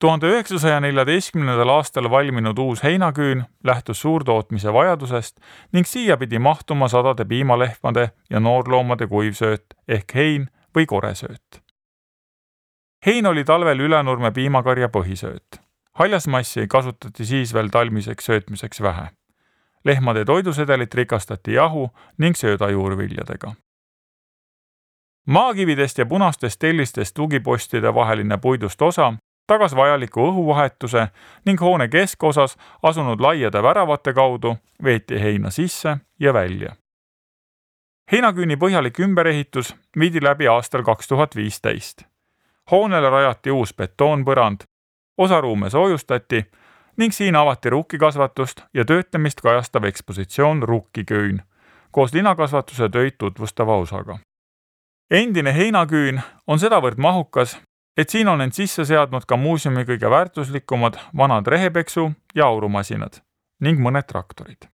1914. aastal valminud uus heinaküün lähtus suurtootmise vajadusest ning siia pidi mahtuma sadade piimalehmade ja noorloomade kuivsööt ehk hein või koresööt. Hein oli talvel Ülenurme piimakarja põhisööt. Haljasmassi kasutati siis veel talmiseks söötmiseks vähe. Lehmade toidusedelit rikastati jahu ning söödajuurviljadega. Maakividest ja punastest tellistest tugipostide vaheline puidust osa tagas vajaliku õhuvahetuse ning hoone keskosas asunud laiade väravate kaudu veeti heina sisse ja välja. Heinaküüni põhjalik ümberehitus viidi läbi aastal 2015. Hoonele rajati uus betoonpõrand, osa ruume soojustati ning siin avati rukkikasvatust ja töötlemist kajastav ekspositsioon Rukkiküün koos linakasvatuse töid tutvustava osaga. Endine heinaküün on sedavõrd mahukas, et siin on end sisse seadnud ka muuseumi kõige väärtuslikumad vanad rehepeksu- ja aurumasinad ning mõned traktorid.